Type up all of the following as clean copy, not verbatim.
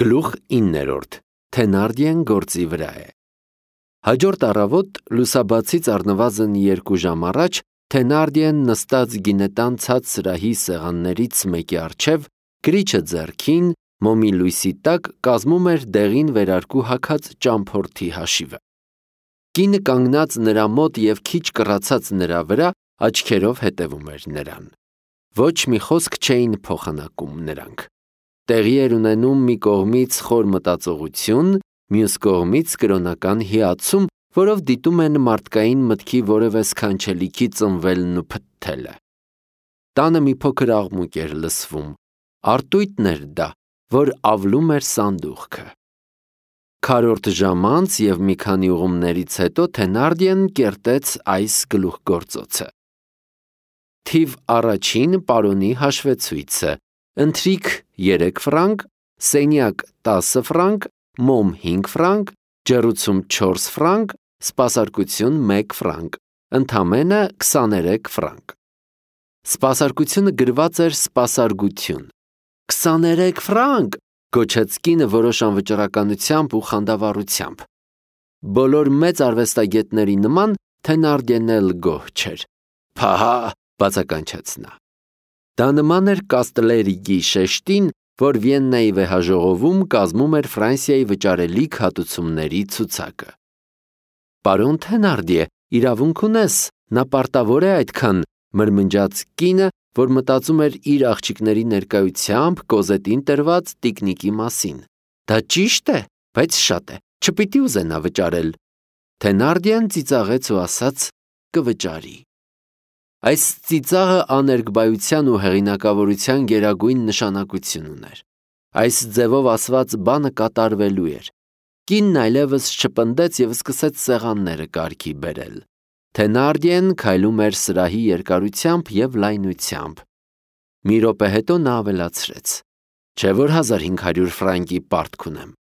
Գլուխ 9. Թենարդիեն գործի վրա է։ Հաջորդ առավոտ լուսաբացից առնվազն 2 ժամ առաջ Թենարդիեն նստած գինետան ցած սրահի սեղաններից մեկի առջև, գրիչը ձեռքին, մոմի լույսի տակ կազմում էր դեղին վերարկու հագած ճամփորդի հաշիվը։ Կինը կանգնած նրա մոտ և քիչ կռացած նրա վրա աչքերով հետևում էր նրան։ Ոչ մի խոսք չէին փոխանակում նրանք։ Տեղի էր ունենում մի կողմից խոր մտածողություն, մյուս կողմից կրոնական հիացում, որով դիտում են մարդկային մտքի որևէ սքանչելիքի ծնվելն ու փթթելը։ Տանը մի փոքր աղմուկ էր լսվում, արտույտն էր դա, որ ավլում էր սանդուղքը։ Քառորդ ժամ անց և մի քանի ուղումներից հետո Թենարդիեն կերտեց այս գլուխգործոցը։ Թիվ առաջին պարոնի հաշվեցույցը, ընթրիք 3 ֆրանկ, սենյակ 10 ֆրանկ, մոմ 5 ֆրանկ, ջեռուցում 4 ֆրանկ, սպասարկություն 1 ֆրանկ, ընդամենը 23 ֆրանկ։ Սպասարկությունը գրված էր սպասարկություն։ 23 ֆրանկ, գոչեց կինը որոշ անվճռականությամբ ու խանդավառությամբ։ Բոլոր մեծ արվեստագետների նման Թենարդիեն էլ գոհ չէր։ Փահա, բացականչեց նա։ Դա նման էր Կաստլերիգի շեշտին, որ Վիեննայի վեհաժողովում կազմում էր Ֆրանսիայի վճարելիք հատուցումների ցուցակը։ Պարոն Թենարդիե, իրավունք ունես, նա պարտավոր է այդքան, մրմնջաց կինը, որ մտածում էր իր աղջիկների ներկայությամբ Կոզետին տրված տիկնիկի մասին։ Դա ճիշտ է, բայց շատ է, չպիտի ուզենա վճարել։ Թենարդիեն ծիծաղեց ու ասաց. կվճարի։ Այս ծիծաղը աներկբայության ու հեղինակավորության գերագույն նշանակություն ուներ։ Այս ձևով ասված բանը կատարվելու էր։ Կինն այլևս չպնդեց և սկսեց սեղանները կարգի բերել։ Թենարդիեն քայլում էր սրահի երկարությամբ և լայնությամբ։ Մի րոպե հետո նա ավելացրեց. չէ՞ որ 1500 ֆրանկի պարտք ունեմ։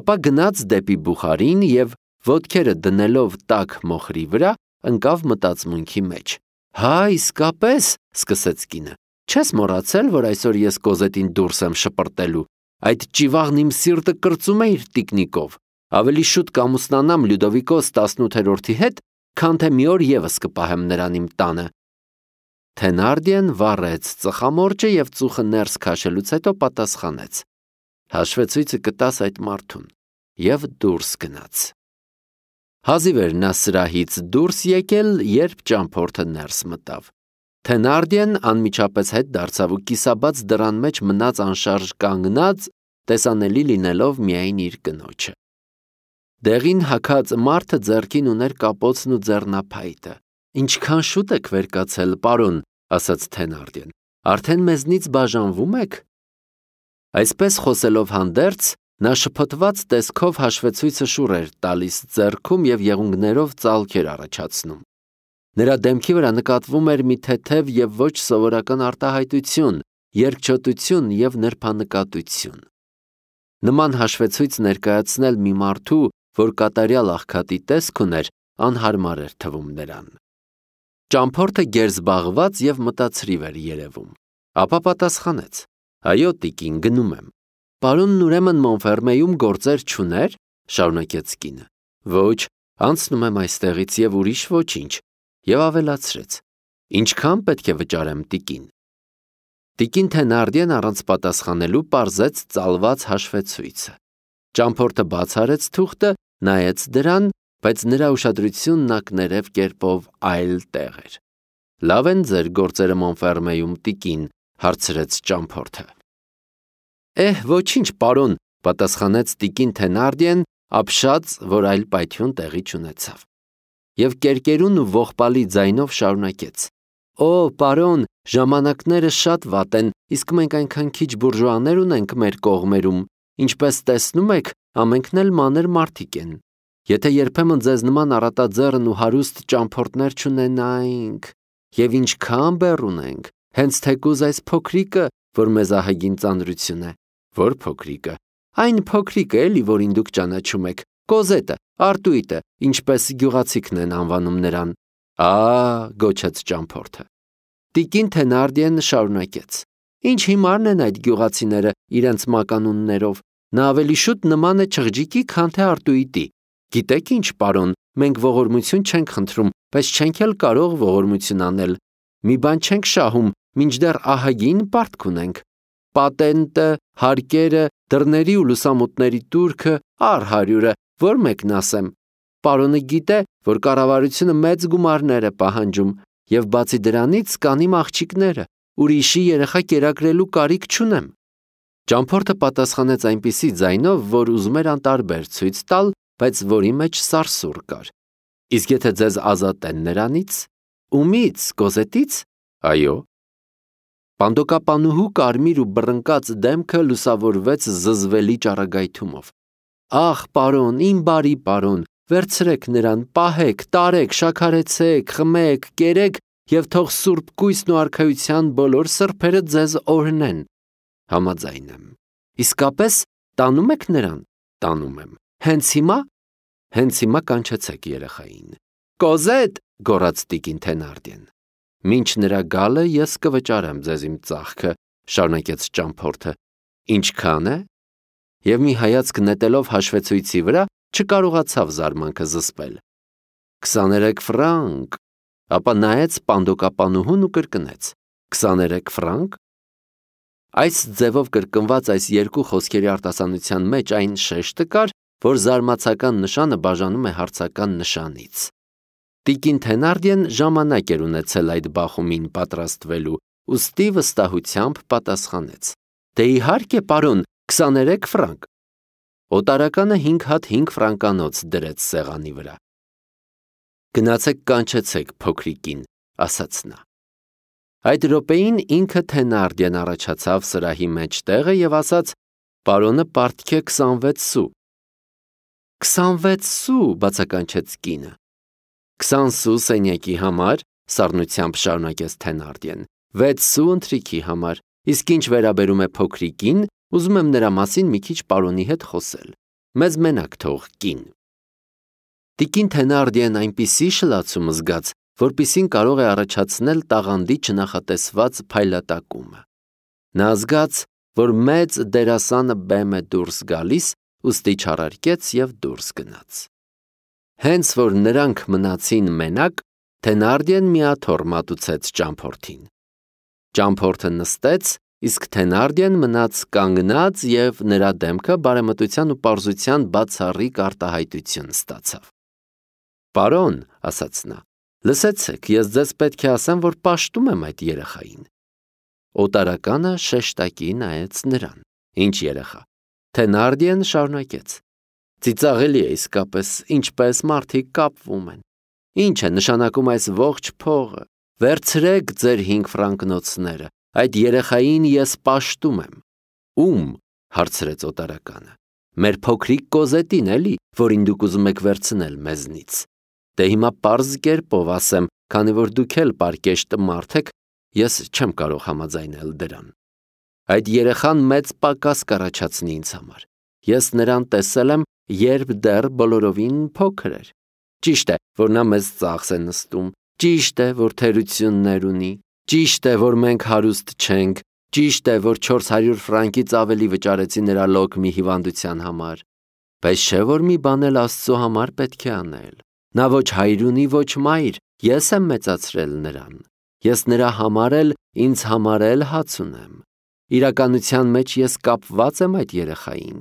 Ապա գնաց դեպի բուխարին և ոտքերը դնելով տաք մոխրի վրա, ընկավ մտածմունքի մեջ։ Հա, իսկապես, սկսեց կինը, չես մոռացել, որ այսօր ես Կոզետին դուրս եմ շպրտելու։ Այդ ճիվաղն իմ սիրտը կրծում է իր տիկնիկով։ Ավելի շուտ կամուսնանամ Լյուդովիկոս 18-րդի հետ, քան թե մի օր ևս կպահեմ նրան իմ տանը։ Թենարդիեն վառեց ծխամորճը և ծուխը ներս քաշելուց հետո պատասխանեց. հաշվեցույցը կտաս այդ մարդուն, և դուրս գնաց։ Հազիվ էր նա սրահից դուրս եկել, երբ ճամփորդը ներս մտավ։ Թենարդիեն անմիջապես հետ դարձավ ու կիսաբաց դռան մեջ մնաց անշարժ կանգնած, տեսանելի լինելով միայն իր կնոջը։ Դեղին հագած մարդը ձեռքին ուներ կապոցն ու ձեռնափայտը։ Ինչքան շուտ եք վեր կացել, պարոն, ասաց Թենարդիեն, արդեն մեզնից բաժանվում եք։ Այսպես խոսելով հանդերձ, նա շփոթված տեսքով հաշվեցույցը շուռ էր տալիս ձեռքում և եղունգներով ծալքեր առաջացնում։ Նրա դեմքի վրա նկատվում էր մի թեթև և ոչ սովորական արտահայտություն, երկչոտություն և նրբանկատություն։ Նման հաշվեցույց ներկայացնել մի մարդու, որ կատարյալ աղքատի տեսք ուներ, անհարմար էր թվում նրան։ Ճամփորդը գերզբաղված և մտածրիվ էր երևում։ Ապա պատասխանեց. այո, տիկին, գնում եմ։ Պարոնն ուրեմն Մոնֆերմեյում գործեր չուներ, շարունակեց կինը։ Ոչ, անցնում եմ այստեղից և ուրիշ ոչինչ, և ավելացրեց. ինչքան պետք է վճարեմ, տիկին։ Տիկին Թենարդիեն առանց պատասխանելու պարզեց ծալված հաշվեցույցը։ Ճամփորդը բաց արեց թուղթը, նայեց դրան, բայց նրա ուշադրությունն ակներև կերպով այլ տեղ էր։ Լավ են ձեր գործերը Մոնֆերմեյում, տիկին, հարցրեց ճամփորդը։ Ոչինչ, պարոն, պատասխանեց տիկին Թենարդիեն, ապշած, որ այլ պայթյուն տեղի չունեցավ։ Եվ կերկերուն ու ողբալի ձայնով շարունակեց. պարոն, ժամանակները շատ վատ են, իսկ մենք այնքան քիչ բուրժուաներ ունենք մեր կողմերում, ինչպես տեսնում եք, ամենքն էլ մանր մարդիկ են։ Եթե երբեմն ձեզ նման առատաձեռն ու հարուստ ճամփորդներ չունենայինք, և ինչքան բեռ ունենք, հենց թեկուզ այս փոքրիկը, որ մեզ ահագին ծանրություն է։ Որ փոքրիկը։ Այն փոքրիկը էլի, որին դուք ճանաչում եք, Կոզետը, Արտույտը, ինչպես գյուղացիքն են անվանում նրան։ Գոչեց ճամփորդը։ Տիկին Թենարդիեն շարունակեց. Ինչ հիմարն են այդ գյուղացիները իրենց մականուններով, նա ավելի շուտ նման է չղջիկի, քան թե արտույտի։ Գիտեք ինչ, պարոն, մենք ողորմություն չենք խնդրում, բայց չենք էլ կարող ողորմություն անել։ Մի բան չենք շահում, մինչդեռ ահագին պարտք ունենք։ Պատենտը, հարկերը, դռների ու լուսամուտների տուրքը, առ հարյուրը, որ մեկն ասեմ։ Պարոնը գիտե, որ կառավարությունը մեծ գումարներ է պահանջում, եւ բացի դրանից կան իմ աղջիկները, ուրիշի երեխա կերակրելու կարիք չունեմ։ Ճամփորդը պատասխանեց այնպիսի ձայնով, որ ուզում էր անտարբեր ցույց տալ, բայց որի մեջ սարսուռ կար։ Իսկ եթե ձեզ ազատեն նրանից, ումից, Կոզետից, այո։ Պանդոկապանուհու կարմիր ու բռնկած դեմքը լուսավորվեց զզվելի ճառագայթումով։ Ախ, պարոն, իմ բարի պարոն, վերցրեք նրան, պահեք, տարեք, շաքարեցեք, խմեք, կերեք եւ թող սուրբ կույսն ու արքայության բոլոր սրբերը ձեզ օրհնեն։ Համաձայն եմ։ Իսկապես տանում եք նրան։ Տանում եմ։ Հենց հիմա կանչեցեք երեխային։ Կոզետ, գոռաց տիկին Թենարդիեն։ Մինչ նրա գալը ես կվճարեմ ձեզ իմ ծախքը, շարունակեց ճամփորդը։ Ինչքան է։ Եվ մի հայացք նետելով հաշվեցույցի վրա չկարողացավ զարմանքը զսպել։ 23 ֆրանկ, ապա նայեց պանդոկապանուհուն ու կրկնեց. 23 ֆրանկ։ Այս ձևով կրկնված այս երկու խոսքերի արտասանության մեջ այն շեշտը կար, որ զարմացական նշանը բաժանում է հարցական նշանից։ Տիկին Թենարդիեն ժամանակ էր ունեցել այդ բախումին պատրաստվելու, ուստի վստահությամբ պատասխանեց. Դե իհարկե, պարոն, 23 ֆրանկ։ Օտարականը 5 հատ 5 ֆրանկանոց դրեց սեղանի վրա։ Գնացեք կանչեցեք փոքրիկին, ասաց նա։ Այդ րոպեին ինքը Թենարդիեն առաջացավ սրահի մեջ տեղը եւ ասաց. Պարոնը պարտք է 26 սու։ 26 սու, բացականչեց կինը։ 20 սու սենյակի համար, սառնությամբ շարունակեց Թենարդիեն, 6 սու ընթրիքի համար, իսկ ինչ վերաբերում է փոքրիկին, ուզում եմ նրա մասին մի քիչ պարոնի հետ խոսել։ Մեզ մենակ թող կին։ Տիկին Թենարդիեն այնպիսի շլացում զգաց, որպիսին կարող է առաջացնել տաղանդի չնախատեսված փայլատակումը։ Նա զգաց, որ մեծ դերասանը բեմ է դուրս գալիս, ուստի չարարկեց եւ դուրս գնաց։ Հենց որ նրանք մնացին մենակ, Թենարդիեն միաթոռ մատուցեց ճամփորդին։ Ճամփորդը նստեց, իսկ Թենարդիեն մնաց կանգնած եւ նրա դեմքը բարեմտության ու պարզության բացառիկ արտահայտություն ստացավ։ Պարոն, ասաց նա, լսեցեք, ես ձեզ պետք է ասեմ, որ պաշտում եմ այդ երեխային։ Օտարականը շեշտակի նայեց նրան։ Ինչ երեխա։ Թենարդիեն շարունակեց. Ծիծաղելի է իսկապես, ինչպես մարդիկ կապվում են։ Ինչ է նշանակում այս ողջ փողը։ Վերցրեք ձեր 5 ֆրանկնոցները, այդ երեխային ես պաշտում եմ։ Ում, հարցրեց օտարականը։ Մեր փոքրիկ Կոզետին էլի, որին դուք ուզում եք վերցնել մեզնից։ Դե հիմա պարզ կերպով ասեմ, քանի որ դուք էլ պարկեշտ մարդ եք, ես չեմ կարող համաձայնել դրան։ Այդ երեխան մեծ պակաս կառաջացնի ինձ համար։ Ես նրան տեսել եմ, երբ դեռ բոլորովին փոքր էր։ Ճիշտ է, որ նա մեզ ծախս է նստում, ճիշտ է, որ թերություններ ունի, ճիշտ է, որ մենք հարուստ չենք, ճիշտ է, որ 400 ֆրանկից ավելի վճարեցի նրա լոկմի հիվանդության համար, բայց չէ որ մի բան էլ Աստծո համար պետք է անել։ Նա ոչ հայր ունի, ոչ մայր, ես եմ մեծացրել նրան։ Ես նրա համար էլ, ինձ համար էլ հաց ունեմ։ Իրականության մեջ ես կապված եմ այդ երեխային։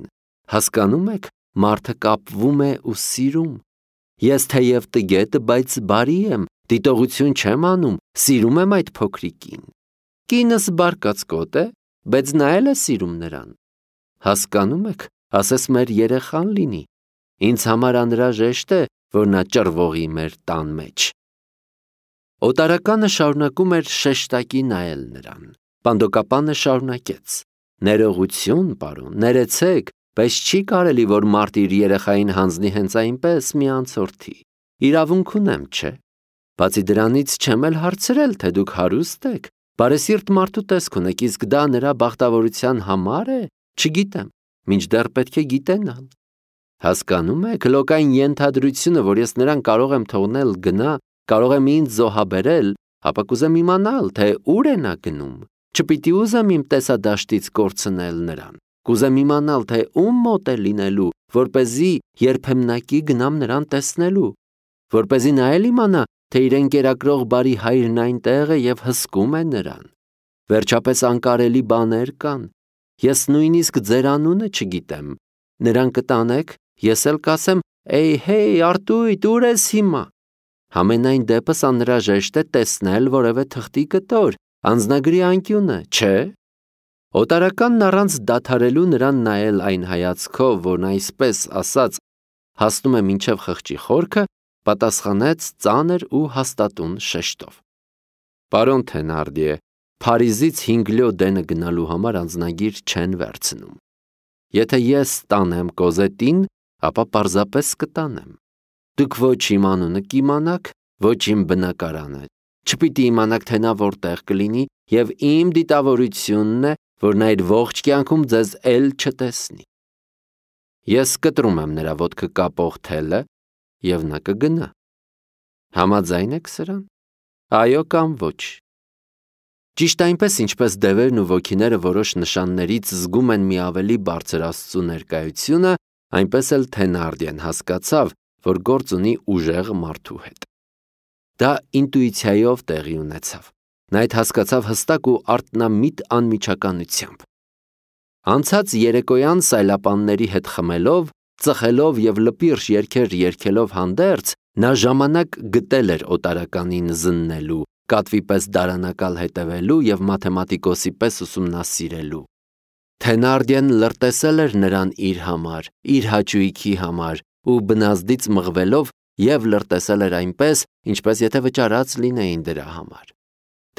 Հասկանում եք, մարդը կապվում է ու սիրում։ Ես թեև տգետ, բայց բարի եմ, դիտողություն չեմ անում, սիրում եմ այդ փոքրիկին։ Կինս բարկացկոտ է, բայց նա էլ է սիրում նրան։ Հասկանում եք, ասես մեր երեխան լինի։ Ինձ համար անհրաժեշտ է, որ նա ճռվողի մեր տան մեջ։ Օտարականը շարունակում էր շեշտակի նայել նրան։ Պանդոկապանը շարունակեց. Ներողություն, պարոն, ներեցեք, բայց չի կարելի, որ մարդ իր երեխային հանձնի հենց այնպես մի անցորդի։ Իրավունք ունեմ, չէ։ Բացի դրանից չեմ էլ հարցրել, թե դուք հարուստ եք, բարեսիրտ մարդու տեսք ունեք, իսկ դա նրա բախտավորության համար է, չգիտեմ, մինչդեռ պետք է գիտենալ։ Հասկանում եք, լոկային ենթադրությունը, որ ես նրան կարող եմ թողնել գնա, կարող եմ ինձ զոհաբերել, ապա կուզեմ իմանալ, թե ուր է նա գնում։ Չպիտի ուզեմ իմ տեսադաշտից կորցնել նրան։ Կուզեմ իմանալ, թե ում մոտ է լինելու, որպեսզի երբեմնակի գնամ նրան տեսնելու, որպեսզի նա էլ իմանա, թե իր ընկերակրող բարի հայրն այնտեղ է եւ հսկում է նրան։ Վերջապես անկարելի բաներ կան։ Ես նույնիսկ ձեր անունը չգիտեմ։ Նրան կտանեք, ես էլ կասեմ. «Էյ, հեյ, Արտույտ, ուր ես հիմա»։ Համենայն դեպս անհրաժեշտ է տեսնել որևէ թղթի կտոր, անձնագրի անկյունը, չէ՞։ Օտարականն առանց դադարելու նրան նայել այն հայացքով, որն այսպես ասած հասնում է մինչև խղճի խորքը, պատասխանեց ծանր ու հաստատուն շեշտով. «Պարոն Թենարդիե, Փարիզից 5 լյո դենը գնալու համար անձնագիր չեն վերցնում։ Եթե ես տանեմ Կոզետին, ապա պարզապես կտանեմ։ Դուք ոչ իմ անունը կիմանաք, ոչ իմ բնակարանը, չպիտի իմանաք, թե նա որտեղ կլինի, եւ իմ դիտավորությունն է, որ նա իր ողջ կյանքում ձեզ էլ չտեսնի։ Ես կտրում եմ նրա ոտքը կապող թելը, եւ նա կգնա։ Համաձայն եք սրան։ Այո կամ ոչ։ Ճիշտ այնպես, ինչպես դևերն ու ոգիները որոշ նշաններից զգում են մի ավելի բարձր Աստծու ներկայությունը, այնպես էլ Թենարդիեն հասկացավ, որ գործ ունի ուժեղ մարդու հետ։ Դա ինտուիցիայով տեղի ունեցավ։ Նա այդ հասկացավ հստակ ու արթնամիտ անմիջականությամբ։ Անցած երեկոյան սայլապանների հետ խմելով, ծխելով եւ լպիրշ երգեր երգելով հանդերձ, նա ժամանակ գտել էր օտարականին զննելու, կատվի պես դարանակալ հետևելու եւ մաթեմատիկոսի պես ուսումնասիրելու։ Թենարդիեն լրտեսել էր նրան իր համար, իր հաճույքի համար ու բնազդից մղվելով եւ լրտեսել էր այնպես, ինչպես եթե վճարած լինեին դրա համար։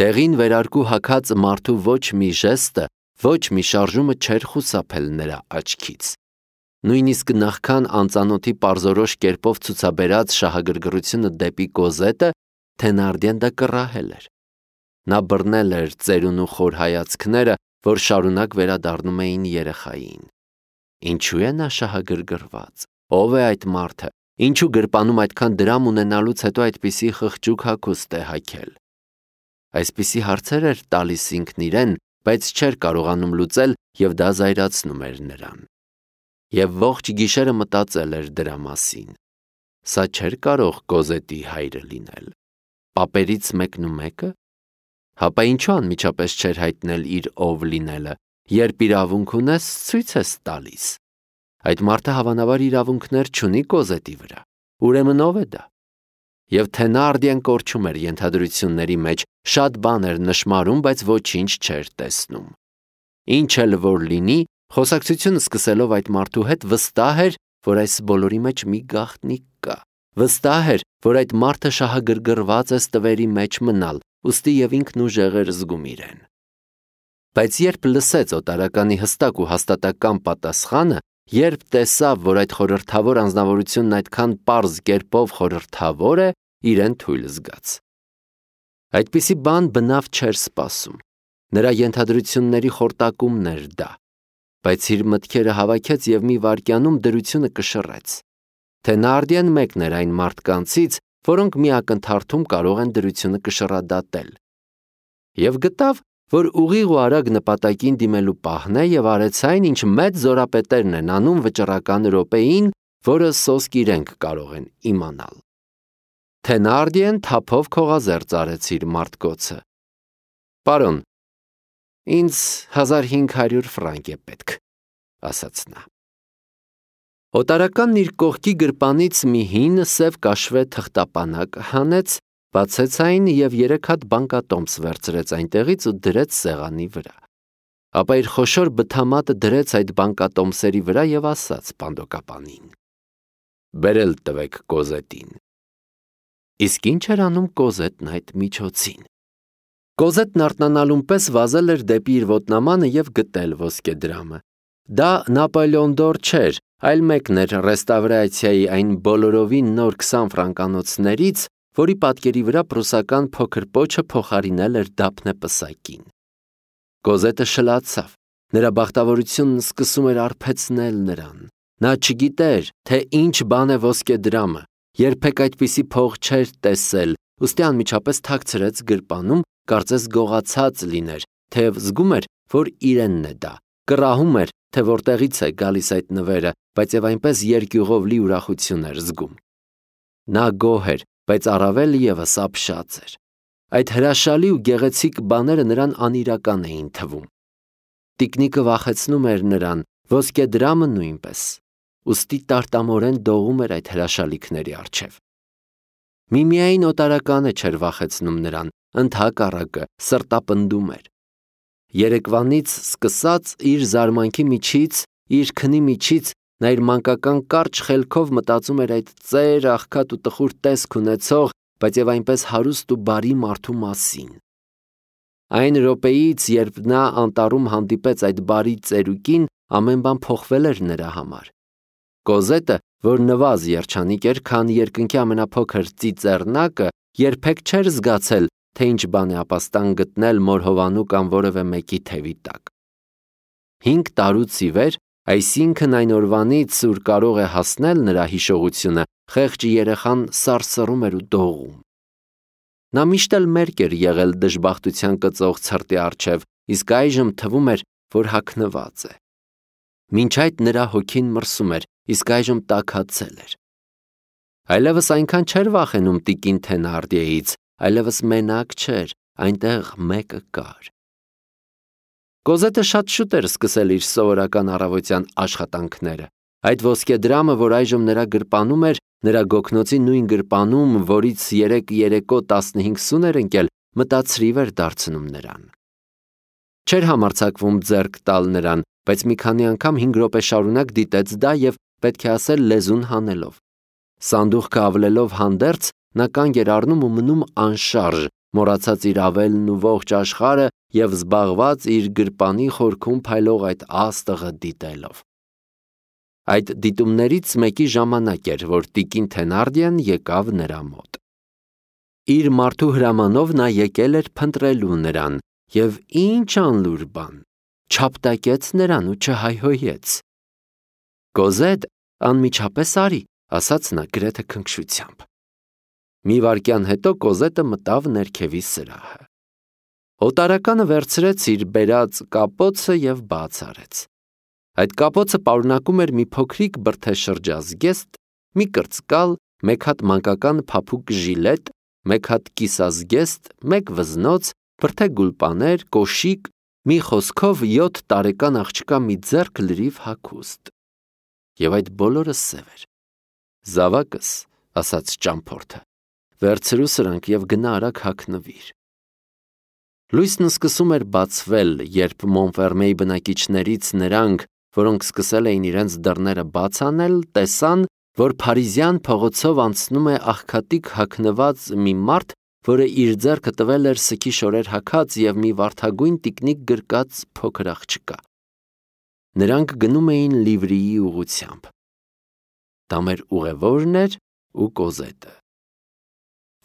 Տեղին վերարկու հագած մարդու ոչ մի ժեստը, ոչ մի շարժումը չէր խուսափել նրա աչքից։ Նույնիսկ նախքան անծանոթի պարզորոշ կերպով ցուցաբերած շահագրգռությունը դեպի Կոզետը, Թենարդիեն դա կռահել էր։ Նա բռնել էր ծերուն ու խոր հայացքները, որ շարունակ վերադառնում էին երեխային։ Ինչու է նա շահագրգռված։ Ով է այդ մարդը։ Ինչու գրպանում այդքան դրամ ունենալուց հետո այդպիսի խղճուկ հագուստ է հագել։ Այսպիսի հարցեր էր տալիս ինքն իրեն, բայց չէր կարողանում լուծել եւ դա զայրացնում էր նրան։ Եվ ողջ գիշերը մտածել էր դրա մասին։ Սա չէր կարող Կոզետի հայրը լինել։ Պապերից մեկն ու մեկը։ Հապա ինչու անմիջապես չէր հայտնել իր ով լինելը, երբ իրավունք ունես, ցույց ես տալիս։ Այդ մարդը հավանաբար իրավունքներ չունի Կոզետի վրա։ Ուրեմն ով է դա։ Եվ Թենարդիեն կորչում էր ենթադրությունների մեջ, շատ բան էր նշմարում, բայց ոչինչ չէր տեսնում։ Ինչ էլ որ լինի, խոսակցությունը սկսելով այդ մարդու հետ վստահ էր, որ այս բոլորի մեջ մի գաղտնիք կա։ Վստահ էր, որ այդ մարդը շահագրգռված է ստվերի մեջ մնալ, ուստի եւ ինքն ուժեղ էր զգում իրեն։ Բայց երբ լսեց օտարականի հստակ ու հաստատակամ պատասխանը, երբ տեսավ, որ այդ խորհրդավոր անձնավորությունն այդքան պարզ կերպով խորհրդավոր է, իրեն թույլ զգաց։ Այդպիսի բան բնավ չէր սպասում։ Նրա ենթադրությունների խորտակումն էր դա, բայց իր մտքերը հավաքեց եւ մի վայրկյանում դրությունը կշռեց։ Թենարդիեն մեկն էր այն մարդկանցից, որոնք մի ակնթարթում կարող են դրությունը կշռադատել։ Եվ գտավ, որ ուղիղ ու արագ նպատակին դիմելու պահն է եւ արեց այն, ինչ մեծ զորապետերն են անում վճռական րոպեին, որը սոսկ իրենք կարող են իմանալ։ Թենարդիեն թափով քողազերծ արեց իր մարտկոցը։ Պարոն, ինձ 1500 ֆրանկ է պետք, ասաց նա։ Օտարականն իր կողքի գրպանից մի հին սև կաշվե թղթապանակ հանեց, բացեց այն եւ 3 հատ բանկատոմս վերցրեց այնտեղից ու դրեց սեղանի վրա։ Ապա իր խոշոր բթամատը դրեց այդ բանկատոմսերի վրա եւ ասաց պանդոկապանին. «Բերել տվեք Կոզետին»։ Իսկ ինչ էր անում Կոզետն այդ միջոցին։ Կոզետն արթնանալուն պես վազել էր դեպի իր ոտնամանը եւ գտել ոսկեդրամը։ Դա Նապոլեոն դոր չէր, այլ մեկն էր ռեստավրացիայի այն բոլորովին նոր 20 ֆրանկանոցներից, որի պատկերի վրա պրուսական փոքր պոչը փոխարինել էր դափնե պսակին։ Կոզետը շլացավ։ Նրա բախտավորությունն սկսում էր արբեցնել նրան։ Նա չգիտեր, թե ինչ բան է ոսկեդրամը, երբեք այդպիսի փող չէր տեսել, ուստի անմիջապես թաքցրեց գրպանում, կարծես գողացած լիներ, թեև զգում էր, որ իրենն է դա, կռահում էր, թե որտեղից է գալիս այդ նվերը, բայց եւ այնպես երկյուղով լի ուրախություն էր զգում։ Նա գոհ էր, բայց առավել եւս ապշած էր։ Այդ հրաշալի ու գեղեցիկ բաները նրան անիրական էին թվում։ Տիկնիկը վախեցնում էր նրան, ոսկեդրամը նույնպես, ուստի տարտամորեն դողում էր այդ հրաշալիքների առջև։ Միմիային օտարականը չէր վախեցնում նրան, ընդհակառակը սրտապնդում էր։ Երեկվանից սկսած իր զարմանքի միջից, իր քնի միջից նա իր մանկական կարճ խելքով մտածում էր այդ ծեր, աղքատ ու տխուր տեսք ունեցող, բայց եւ այնպես հարուստ ու բարի մարդու մասին։ Այն րոպեից, երբ նա անտառում հանդիպեց այդ բարի ծերուկին, ամեն բան փոխվել էր նրա համար։ Կոզետը, որ նվազ երջանիկ էր, քան երկնքի ամենափոքր ծիծեռնակը, երբեք չէր զգացել, թե ինչ բան է ապաստան գտնել մոր հովանու կամ որևէ մեկի թևի տակ։ 5 տարուց ի վեր, այսինքն այն օրվանից, ուր կարող է հասնել նրա հիշողությունը, խեղճ երեխան սարսռում էր ու դողում։ Նա միշտ էլ մերկ էր եղել դժբախտության կծող ցրտի առջև, իսկ այժմ թվում էր, որ հագնված է։ Մինչ այդ նրա հոգին մրսում էր, իսկ այժմ տաքացել էր։ Այլևս այնքան չէր վախենում տիկին Թենարդիեից, այլևս մենակ չէր, այնտեղ մեկը կար։ Կոզետը շատ շուտ էր սկսել իր սովորական առավոտյան աշխատանքները։ Այդ ոսկեդրամը, որ այժմ նրա գրպանում էր, նրա գոգնոցի նույն գրպանում, որից երեկո 15 սուն էր ընկել, մտածրիվ էր դարձնում նրան։ Չէր համարձակվում ձեռք տալ նրան, բայց մի քանի անգամ 5 րոպե շարունակ դիտեց դա եւ պետք է ասել լեզուն հանելով։ Սանդուղքը ավլելով հանդերձ, նա կանգ էր առնում ու մնում անշարժ, մոռացած իր ավելն ու ողջ աշխարհը եւ զբաղված իր գրպանի խորքում փայլող այդ աստղը դիտելով։ Այդ դիտումներից մեկի ժամանակ էր, որ տիկին Թենարդիեն եկավ նրա մոտ։ Իր մարդու հրամանով նա եկել էր փնտրելու նրան եւ ինչ անլուր բան, չափտակեց նրան ու չհայհոյեց։ Կոզետ, անմիջապես արի, ասաց նա գրեթե քնքշությամբ։ Մի վայրկյան հետո Կոզետը մտավ ներքևի սրահը։ Օտարականը վերցրեց իր բերած կապոցը եւ բաց արեց։ Այդ կապոցը պարունակում էր մի փոքրիկ բրդեշրջազգեստ, մի կրծկալ, մեկ հատ մանկական փափուկ ժիլետ, մեկ հատ կիսազգեստ, մեկ վզնոց, բրդե գուլպաներ, կոշիկ, մի խոսքով 7 տարեկան աղջկա մի ձեռք լրիվ հագուստ։ Եվ այդ բոլորը սև էր։ Զավակս, ասաց ճամփորդը, վերցրու սրանք եւ գնա արագ հագնվիր։ Լույսն սկսում էր բացվել, երբ Մոնֆերմեի բնակիչներից նրանք, որոնք սկսել էին իրենց դռները բաց անել, տեսան, որ Փարիզյան փողոցով անցնում է աղքատիկ հագնված մի մարդ, որը իր ձեռքը տվել էր սքի շորեր հագած եւ մի վարդագույն տիկնիկ գրկած փոքր աղջկա։ Նրանք գնում էին Լիվրիի ուղությամբ։ Դա մեր ուղևորն էր ու Կոզետը։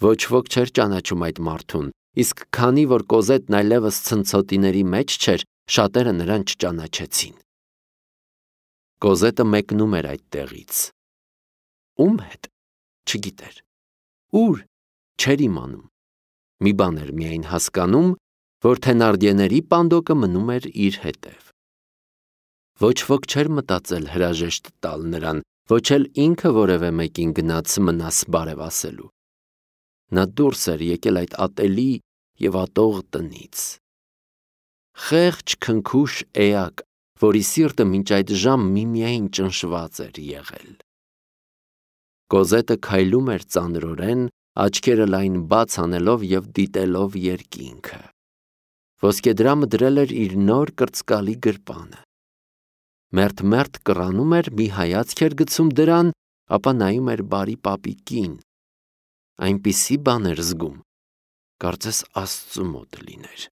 Ոչ ոք չէր ճանաչում այդ մարդուն, իսկ քանի որ Կոզետն այլևս ցնցոտիների մեջ չէր, շատերը նրան չճանաչեցին։ Կոզետը մեկնում էր այդ տեղից։ Ում հետ, չգիտեր։ Ուր, չէր իմանում։ Մի բան էր միայն հասկանում, որ Թենարդիեների պանդոկը մնում էր իր հետև։ Ոչ ոք չէր մտածել հրաժեշտ տալ նրան, ոչ էլ ինքը որևէ մեկին գնաց մնաս բարև ասելու։ Նա դուրս էր եկել այդ ատելի եւ ատող տնից։ Խեղճ քնքուշ էակ, որի սիրտը մինչ այդ ժամ միմիայն ճնշված էր եղել։ Կոզետը քայլում էր ծանրորեն, աչքերը լայն բաց անելով եւ դիտելով երկինքը։ Ոսկեդրամը դրել էր իր նոր կրծկալի գրպանը։ Մերթ կռանում էր, մի հայացք էր գցում դրան, ապա նայում էր բարի պապիկին։ Այնպիսի բան էր զգում, կարծես Աստծու մոտ լիներ։